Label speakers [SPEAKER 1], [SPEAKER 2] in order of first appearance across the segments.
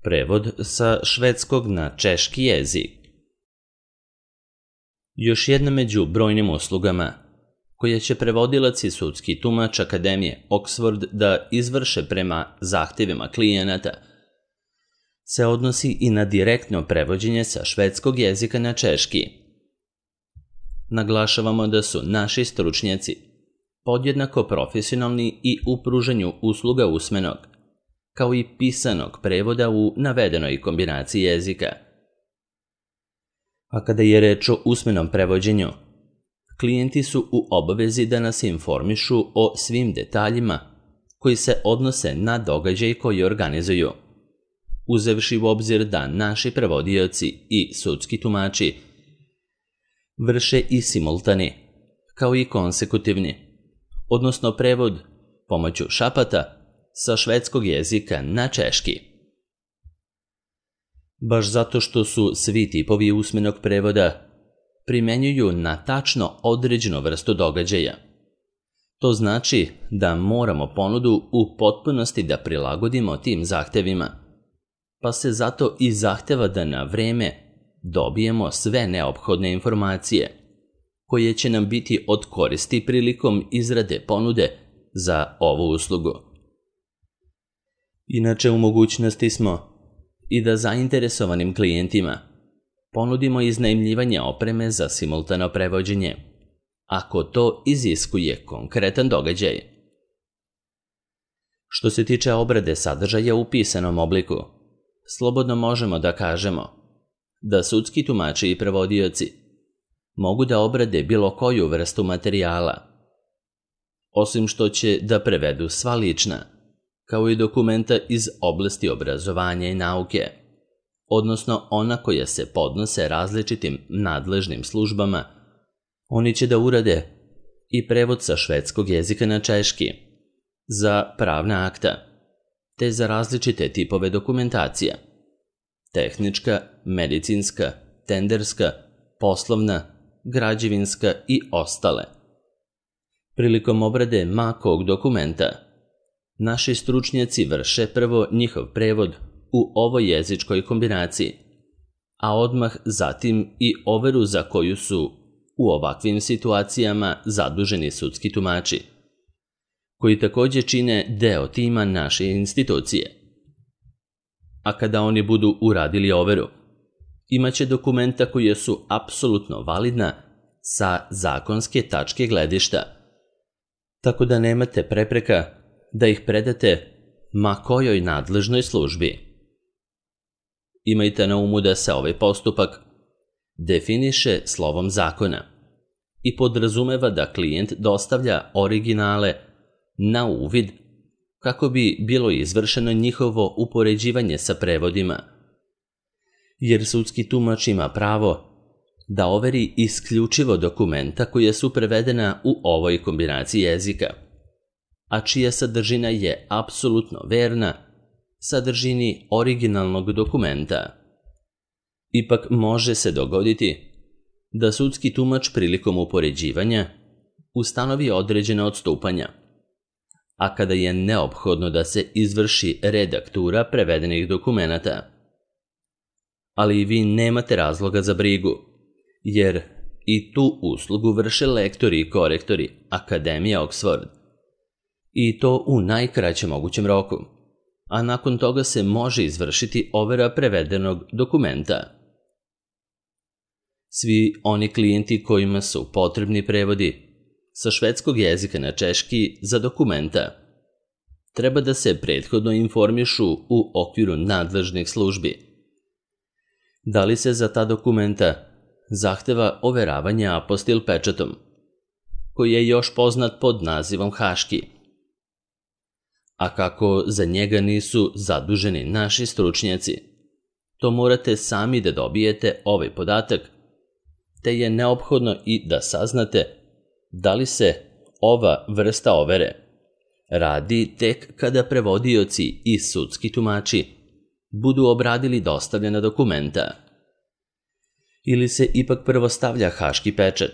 [SPEAKER 1] Prevod sa švedskog na češki jezik. Još jedna među brojnim uslugama koje će prevodilac i sudski tumač Akademije Oxford da izvrše prema zahtjevima klijenata se odnosi i na direktno prevođenje sa švedskog jezika na češki. Naglašavamo da su naši stručnjaci podjednako profesionalni i u pružanju usluga usmenog, kao i pisanog prevoda u navedenoj kombinaciji jezika. A kada je reč o usmenom prevođenju, klijenti su u obavezi da nas informišu o svim detaljima koji se odnose na događaj koji organizuju, uzevši u obzir da naši prevodioci i sudski tumači vrše i simultani, kao i konsekutivni, odnosno prevod pomoću šapata sa švedskog jezika na češki. Baš zato što su svi tipovi usmenog prevoda primenjuju na tačno određenu vrstu događaja. To znači da moramo ponudu u potpunosti da prilagodimo tim zahtevima, pa se zato i zahteva da na vreme dobijemo sve neophodne informacije koje će nam biti od koristi prilikom izrade ponude za ovu uslugu. Inače, u mogućnosti smo i da zainteresovanim klijentima ponudimo iznajmljivanje opreme za simultano prevođenje, ako to iziskuje konkretan događaj. Što se tiče obrade sadržaja u pisanom obliku, slobodno možemo da kažemo da sudski tumači i prevodioci mogu da obrade bilo koju vrstu materijala, osim što će da prevedu sva lična, kao i dokumenta iz oblasti obrazovanja i nauke, odnosno ona koja se podnose različitim nadležnim službama. Oni će da urade i prevod sa švedskog jezika na češki za pravna akta, te za različite tipove dokumentacija: tehnička, medicinska, tenderska, poslovna, građevinska i ostale. Prilikom obrade ma kog dokumenta, naši stručnjaci vrše prvo njihov prevod u ovoj jezičkoj kombinaciji, a odmah zatim i overu za koju su u ovakvim situacijama zaduženi sudski tumači, koji također čine deo tima naše institucije. A kada oni budu uradili overu, imaće dokumenta koje su apsolutno validna sa zakonske tačke gledišta, tako da nemate prepreka da ih predate ma kojoj nadležnoj službi. Imajte na umu da se ovaj postupak definiše slovom zakona i podrazumeva da klijent dostavlja originale na uvid kako bi bilo izvršeno njihovo upoređivanje sa prevodima, jer sudski tumač ima pravo da overi isključivo dokumenta koja su prevedena u ovoj kombinaciji jezika, a čija sadržina je apsolutno verna sadržini originalnog dokumenta. Ipak može se dogoditi da sudski tumač prilikom upoređivanja ustanovi određena odstupanja, a kada je neophodno da se izvrši redaktura prevedenih dokumenata. Ali i vi nemate razloga za brigu, jer i tu uslugu vrše lektori i korektori Akademije Oxford, i to u najkraćem mogućem roku, a nakon toga se može izvršiti overa prevedenog dokumenta. Svi oni klijenti kojima su potrebni prevodi sa švedskog jezika na češki za dokumenta treba da se prethodno informišu u okviru nadležnih službi. Da li se za ta dokumenta zahteva overavanje apostil pečatom, koji je još poznat pod nazivom haški, a kako za njega nisu zaduženi naši stručnjaci, to morate sami da dobijete ovaj podatak, te je neophodno i da saznate da li se ova vrsta overe radi tek kada prevodioci i sudski tumači budu obradili dostavljena dokumenta, ili se ipak prvo stavlja haški pečat,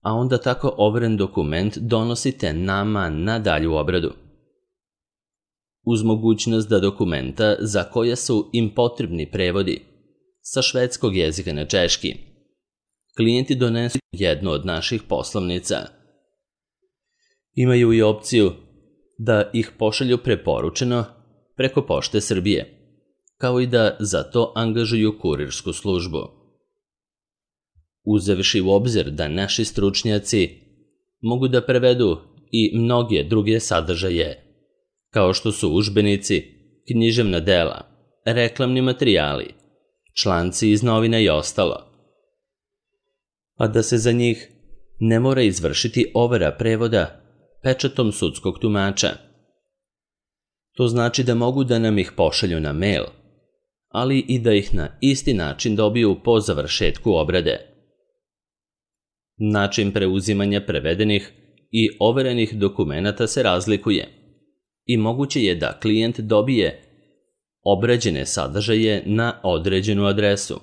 [SPEAKER 1] a onda tako overen dokument donosite nama na dalju obradu. uz mogućnost da dokumenta za koja su im potrebni prevodi sa švedskog jezika na češki, klijenti donesu jednu od naših poslovnica. Imaju i opciju da ih pošalju preporučeno preko Pošte Srbije, kao i da za to angažuju kurirsku službu. Uzevši u obzir da naši stručnjaci mogu da prevedu i mnoge druge sadržaje, kao što su udžbenici, književna dela, reklamni materijali, članci iz novina i ostalo, a da se za njih ne mora izvršiti overa prevoda pečatom sudskog tumača. To znači da mogu da nam ih pošalju na mail, ali i da ih na isti način dobiju po završetku obrade. Način preuzimanja prevedenih i overenih dokumenata se razlikuje i moguće je da klijent dobije obrađene sadržaje na određenu adresu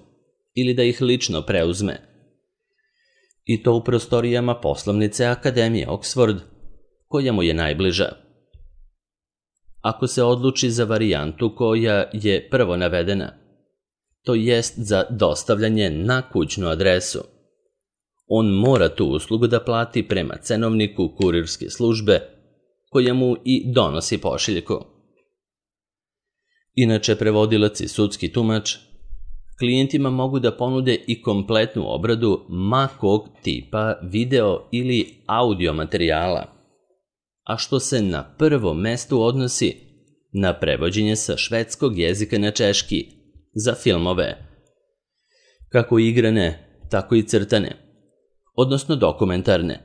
[SPEAKER 1] ili da ih lično preuzme, i to u prostorijama poslovnice Akademije Oxford, koja mu je najbliža. Ako se odluči za varijantu koja je prvo navedena, to jest za dostavljanje na kućnu adresu, on mora tu uslugu da plati prema cenovniku kurirske službe koja mu i donosi pošiljku. Inače, prevodilac i sudski tumač klijentima mogu da ponude i kompletnu obradu ma kog tipa video ili audio materijala, a što se na prvom mestu odnosi na prevođenje sa švedskog jezika na češki za filmove, kako igrane, tako i crtane, odnosno dokumentarne,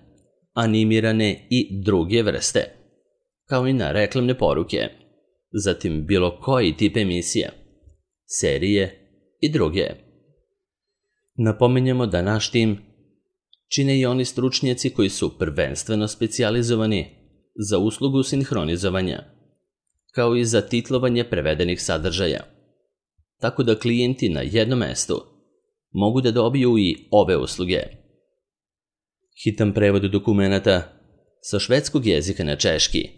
[SPEAKER 1] animirane i druge vrste, kao i na reklamne poruke, zatim bilo koji tip emisija, serije i druge. Napominjemo da naš tim čine i oni stručnjaci koji su prvenstveno specijalizovani za uslugu sinhronizovanja, kao i za titlovanje prevedenih sadržaja, tako da klijenti na jednom mestu mogu da dobiju i ove usluge. Hitan prevod dokumenata sa švedskog jezika na češki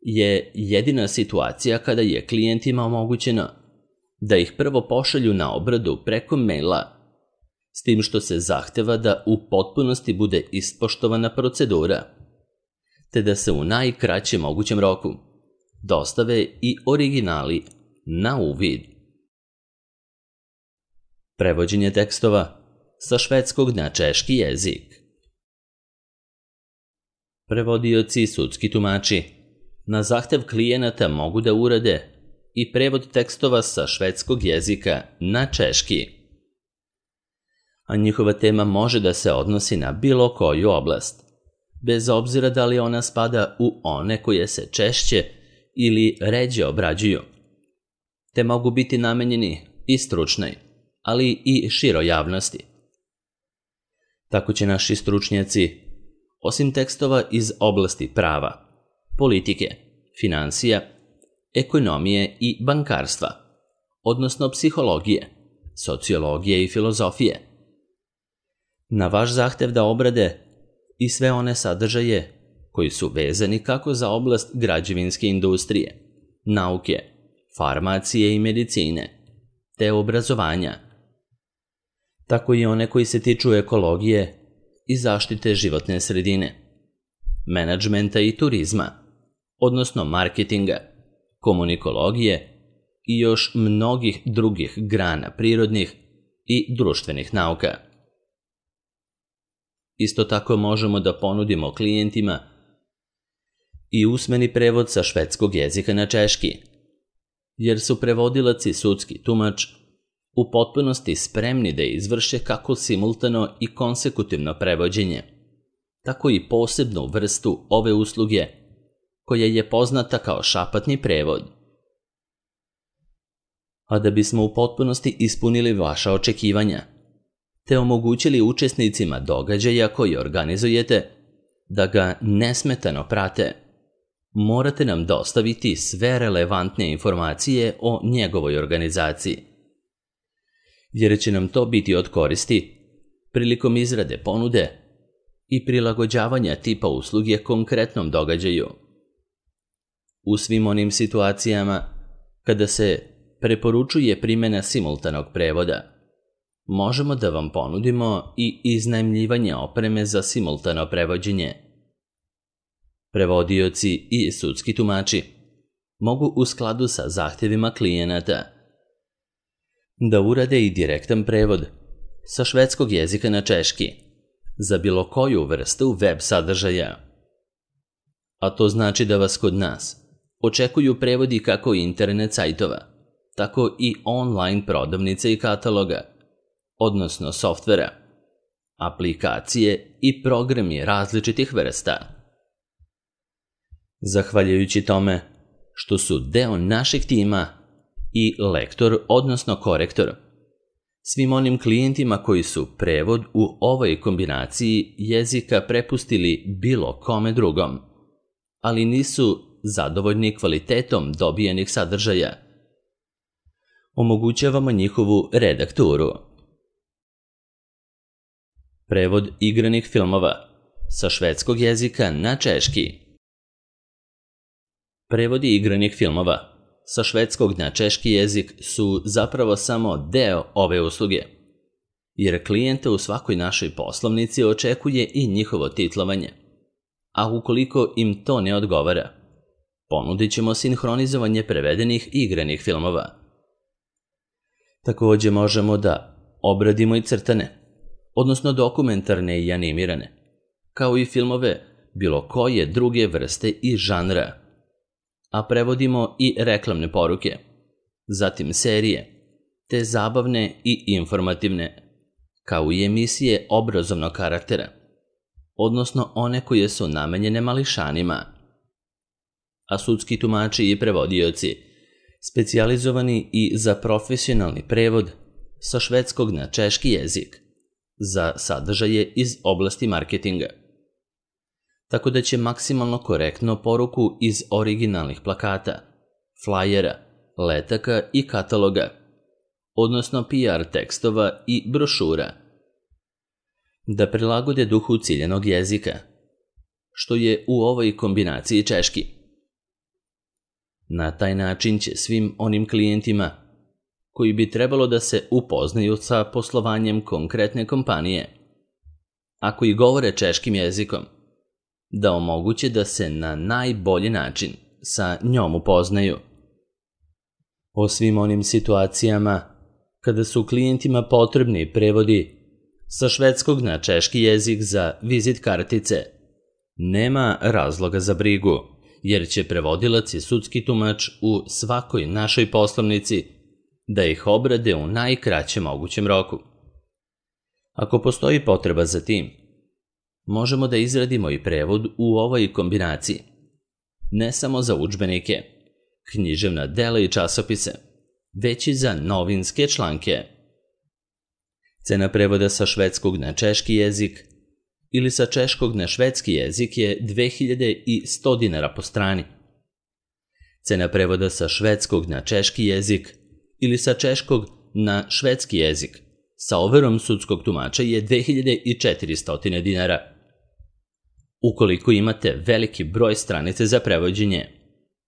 [SPEAKER 1] je jedina situacija kada je klijentima omogućeno da ih prvo pošalju na obradu preko maila, s tim što se zahteva da u potpunosti bude ispoštovana procedura, te da se u najkraćem mogućem roku dostave i originali na uvid. Prevođenje tekstova sa švedskog na češki jezik. Prevodioci i sudski tumači na zahtev klijenata mogu da urade i prevod tekstova sa švedskog jezika na češki, a njihova tema može da se odnosi na bilo koju oblast, bez obzira da li ona spada u one koje se češće ili ređe obrađuju, te mogu biti namenjeni i stručnoj, ali i široj javnosti. Tako će naši stručnjaci, osim tekstova iz oblasti prava, politike, finansija, ekonomije i bankarstva, odnosno psihologije, sociologije i filozofije, na vaš zahtev da obrade i sve one sadržaje koji su vezani kako za oblast građevinske industrije, nauke, farmacije i medicine, te obrazovanja, tako i one koji se tiču ekologije i zaštite životne sredine, menadžmenta i turizma, odnosno marketinga, komunikologije i još mnogih drugih grana prirodnih i društvenih nauka. Isto tako možemo da ponudimo klijentima i usmeni prevod sa švedskog jezika na češki, jer su prevodilac i sudski tumač u potpunosti spremni da izvrše kako simultano i konsekutivno prevođenje, tako i posebnu vrstu ove usluge koja je poznata kao šapatni prevod. A da bismo u potpunosti ispunili vaša očekivanja, te omogućili učesnicima događaja koji organizujete da ga nesmetano prate, morate nam dostaviti sve relevantne informacije o njegovoj organizaciji, jer će nam to biti od koristi prilikom izrade ponude i prilagođavanja tipa usluge konkretnom događaju. U svim onim situacijama kada se preporučuje primjena simultanog prevoda, možemo da vam ponudimo i iznajmljivanje opreme za simultano prevođenje. Prevodioci i sudski tumači mogu u skladu sa zahtjevima klijenata da urade i direktan prevod sa švedskog jezika na češki za bilo koju vrstu web sadržaja. A to znači da vas kod nas očekuju prevodi kako internet sajtova, tako i online prodavnice i kataloga, odnosno softvera, aplikacije i programi različitih vrsta. Zahvaljujući tome što su deo našeg tima i lektor, odnosno korektor, svim onim klijentima koji su prevod u ovoj kombinaciji jezika prepustili bilo kome drugom, ali nisu zadovoljni kvalitetom dobijenih sadržaja, omogućavamo njihovu redakturu. Prevod igranih filmova sa švedskog jezika na češki. Prevodi igranih filmova sa švedskog na češki jezik su zapravo samo deo ove usluge, jer klijente u svakoj našoj poslovnici očekuje i njihovo titlovanje. A ukoliko im to ne odgovara, ponudit ćemo sinhronizovanje prevedenih igranih filmova. Također možemo da obradimo i crtane, odnosno dokumentarne i animirane, kao i filmove bilo koje druge vrste i žanra, a prevodimo i reklamne poruke, zatim serije, te zabavne i informativne, kao i emisije obrazovnog karaktera, odnosno one koje su namenjene mališanima. A sudski tumači i prevodioci, specijalizovani i za profesionalni prevod sa švedskog na češki jezik, za sadržaje iz oblasti marketinga. Tako da će maksimalno korektno poruku iz originalnih plakata, flajera, letaka i kataloga, odnosno PR tekstova i brošura, da prilagode duhu ciljanog jezika, što je u ovoj kombinaciji češki. Na taj način će svim onim klijentima koji bi trebalo da se upoznaju sa poslovanjem konkretne kompanije, a koji govore češkim jezikom, da omoguće da se na najbolji način sa njom upoznaju. O svim onim situacijama kada su klijentima potrebni prevodi sa švedskog na češki jezik za vizit kartice, nema razloga za brigu, jer će prevodilac i sudski tumač u svakoj našoj poslovnici da ih obrade u najkraćem mogućem roku. Ako postoji potreba za tim, možemo da izradimo i prevod u ovoj kombinaciji, ne samo za udžbenike, književna dela i časopise, već i za novinske članke. Cena prevoda sa švedskog na češki jezik ili sa češkog na švedski jezik je 2100 dinara po strani. Cena prevoda sa švedskog na češki jezik ili sa češkog na švedski jezik sa overom sudskog tumača je 2400 dinara. Ukoliko imate veliki broj stranice za prevođenje,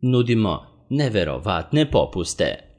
[SPEAKER 1] nudimo neverovatne popuste.